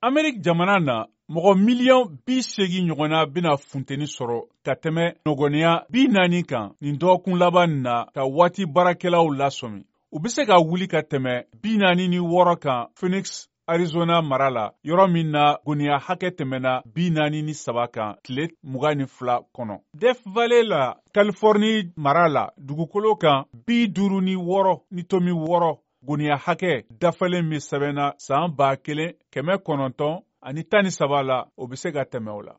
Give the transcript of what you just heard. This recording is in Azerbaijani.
Amerik jamana na mɔgɔ miliyɔn 80 ɲɔgɔnna bena funteni sɔrɔ ka tɛmɛ nɔgɔniya 40 kan nin dɔgɔkun laban na ka waati baarakɛlaw lasɔmi. U be se ka wuli ka tɛmɛ 46 kan Phoenix, Arizona mara la, yɔrɔ min na goniya hakɛ tɛmɛna 43 kan tile 22 kɔnɔ. Death Valley la, Californie mara la, dugukolo kan 56 goniya hakɛ dafalen min sɛbɛnna san 1913 la, o be se ka tɛmɛ o la.